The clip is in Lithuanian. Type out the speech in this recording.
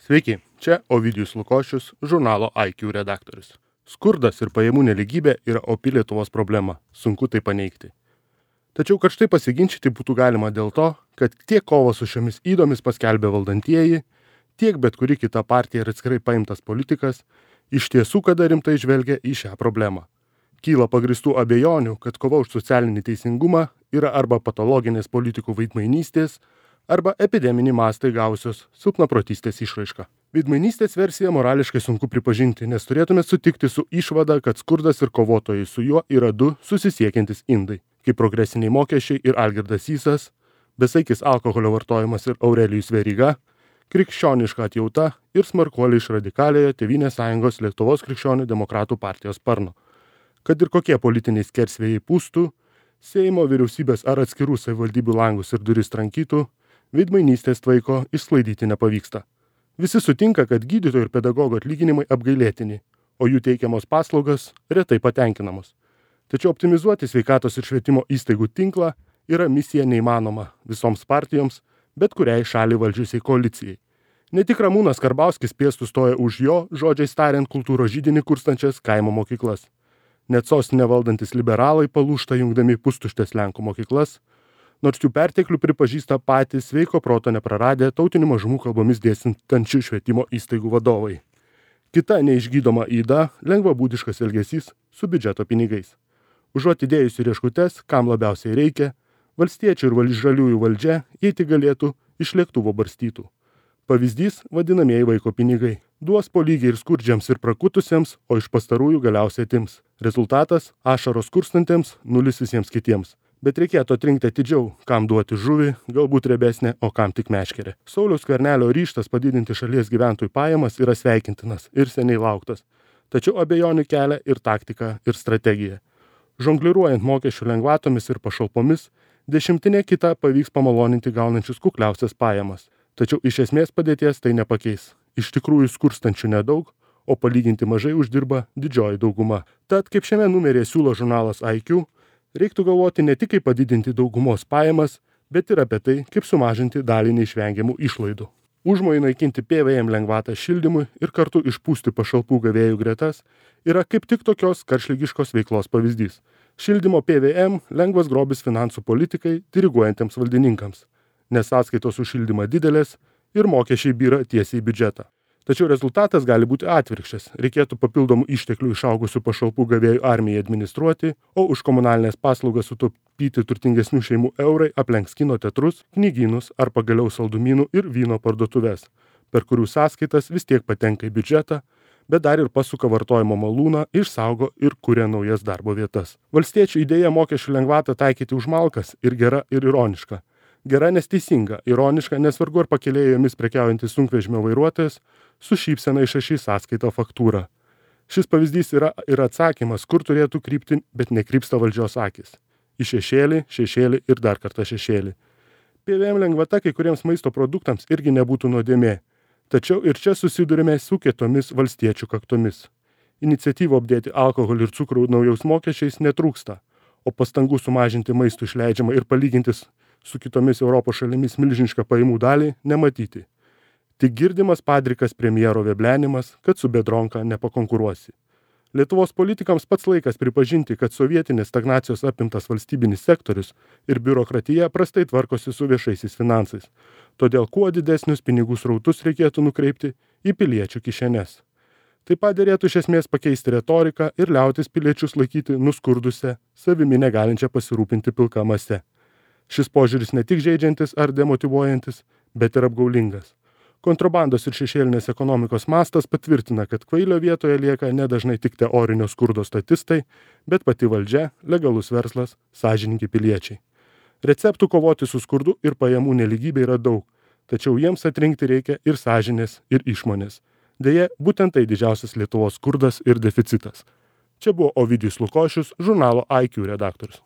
Sveiki, čia Ovidijus Lukošius, žurnalo IQ redaktorius. Skurdas ir pajamų neligybė yra opi Lietuvos problema, sunku tai paneigti. Tačiau karštai pasiginčyti būtų galima dėl to, kad tiek kovą su šiomis įdomis paskelbė valdantieji, tiek bet kuri kita partija ir atskirai paimtas politikas iš tiesų kada rimtai žvelgia į šią problemą. Kyla pagristų abejonių, kad kova už socialinį teisingumą yra arba patologinės politikų veidmainystės, arba epideminį mastą įgausios silpnaprotystės išraiška. Veidmainystės versiją morališkai sunku pripažinti, nes turėtume sutikti su išvada, kad skurdas ir kovotojai su juo yra du susisiekiantys indai, kaip progresiniai mokesčiai ir Algirdas Sysas, besaikis alkoholio vartojimas ir Aurelijus Veryga, krikščioniška atjauta ir smarkuoliai iš radikaliojo Tėvynės sąjungos Lietuvos krikščionių demokratų partijos sparno. Kad ir kokie politiniai skersvėjai pūstų, Seimo, vyriausybės ar atskirų savivaldybių langus ir duris trankytų, veidmainystės tvaiko išsklaidyti nepavyksta. Visi sutinka, kad gydytojų ir pedagogų atlyginimai apgailėtini, o jų teikiamos paslaugos retai patenkinamos. Tačiau optimizuoti sveikatos ir švietimo įstaigų tinklą yra misija neįmanoma visoms partijoms, bet kuriai šaliai valdžiusiai koalicijai. Ne tik Ramūnas Karbauskis pėstų stoja už jo, žodžiais tariant, kultūros židinį kurstančias kaimo mokyklas. Net sostinę valdantis liberalai palūžta jungdami pustuštės Lenkų mokyklas, nors jų perteklių pripažįsta patys sveiko proto nepraradę tautinių mažumų kalbomis dėstančių švietimo įstaigų vadovai. Kita neišgydoma yda – lengvabūdiškas elgesys su biudžeto pinigais. Užuot įdėjus į rieškutes, kam labiausiai reikia, valstiečių ir žaliųjų valdžia, jei tik galėtų, iš lėktuvo barstytų. Pavyzdys – vadinamieji vaiko pinigai. Duos po lygiai ir skurdžiams ir prakutusiems, o iš pastarųjų galiausiai atims. Rezultatas – ašaros skurstantiems, nulis visiems kitiems. Bet reikėtų atrinkti atidžiau, kam duoti žuvį, galbūt riebesnę, o kam tik meškerę. Sauliaus Skvernelio ryžtas padidinti šalies gyventojų pajamas yra sveikintinas ir seniai lauktas. Tačiau abejonių kelia ir taktika, ir strategija. Žongliruojant mokesčių lengvatomis ir pašalpomis, dešimtinė kita pavyks pamaloninti gaunančius kukliausias pajamas. Tačiau iš esmės padėties tai nepakeis. Iš tikrųjų skurstančių nedaug, o palyginti mažai uždirba didžioji dauguma. Tad, kaip šiame numeryje siūlo žurnalas IQ, reiktų galvoti ne tik kaip padidinti daugumos pajamas, bet ir apie tai, kaip sumažinti dalį neišvengiamų išlaidų. Užmojai naikinti PVM lengvatą šildymui ir kartu išpūsti pašalpų gavėjų gretas yra kaip tik tokios karštligiškos veiklos pavyzdys. Šildymo PVM lengvas grobis finansų politikai diriguojantiems valdininkams, nes sąskaitos už šildymą didelės ir mokesčiai byra tiesiai į biudžetą. Tačiau rezultatas gali būti atvirkščias. Reikėtų papildomų išteklių išaugusių pašalpų gavėjų armijai administruoti, o už komunalinės paslaugas sutaupyti turtingesnių šeimų eurai aplenks kino teatrus, knygynus ar pagaliau saldumynų ir vyno parduotuves, per kurių sąskaitas vis tiek patenka į biudžetą, bet dar ir pasuka vartojimo malūną, išsaugo ir kuria naujas darbo vietas. Valstiečių idėja mokesčių lengvatą taikyti už malkas ir gera ir ironiška. Gera nes teisinga, ironiška nes vargu ar pakėlėjomis prekiaujantis sunkvežimio vairuotojas su šypsena išrašys sąskaitą faktūrą. Šis pavyzdys yra ir atsakymas, kur turėtų krypti, bet nekrypsta valdžios akis. Į šešėlį, šešėlį ir dar kartą šešėlį. PVM lengvata kai kuriems maisto produktams irgi nebūtų nuodėmė. Tačiau ir čia susidurime su kietomis valstiečių kaktomis. Iniciatyvų apdėti alkoholį ir cukrų naujaus mokesčiais netrūksta, o pastangų sumažinti maistų išleidžiamą ir palygintis su kitomis Europos šalimis milžinišką pajamų dalį nematyti. Tik girdimas padrikas premjero veblenimas, kad su Biedronka nepakonkuruosi. Lietuvos politikams pats laikas pripažinti, kad sovietinės stagnacijos apimtas valstybinis sektorius ir biurokratija prastai tvarkosi su viešaisiais finansais. Todėl kuo didesnius pinigų srautus reikėtų nukreipti į piliečių kišenes. Taip pat derėtų iš esmės pakeisti retoriką ir liautis piliečius laikyti nuskurdusią, savimi negalinčią pasirūpinti pilka mase. Šis požiūris ne tik žeidžiantis ar demotyvuojantis, bet ir apgaulingas. Kontrabandos ir šešėlinės ekonomikos mastas patvirtina, kad kvailio vietoje lieka nedažnai tik teorinio skurdo statistai, bet pati valdžia, legalus verslas, sąžiningi piliečiai. Receptų kovoti su skurdu ir pajamų nelygybė yra daug, tačiau jiems atrinkti reikia ir sąžinės, ir išmonės. Deja, būtent tai didžiausias Lietuvos skurdas ir deficitas. Čia buvo Ovidijus Lukošius, žurnalo IQ redaktorius.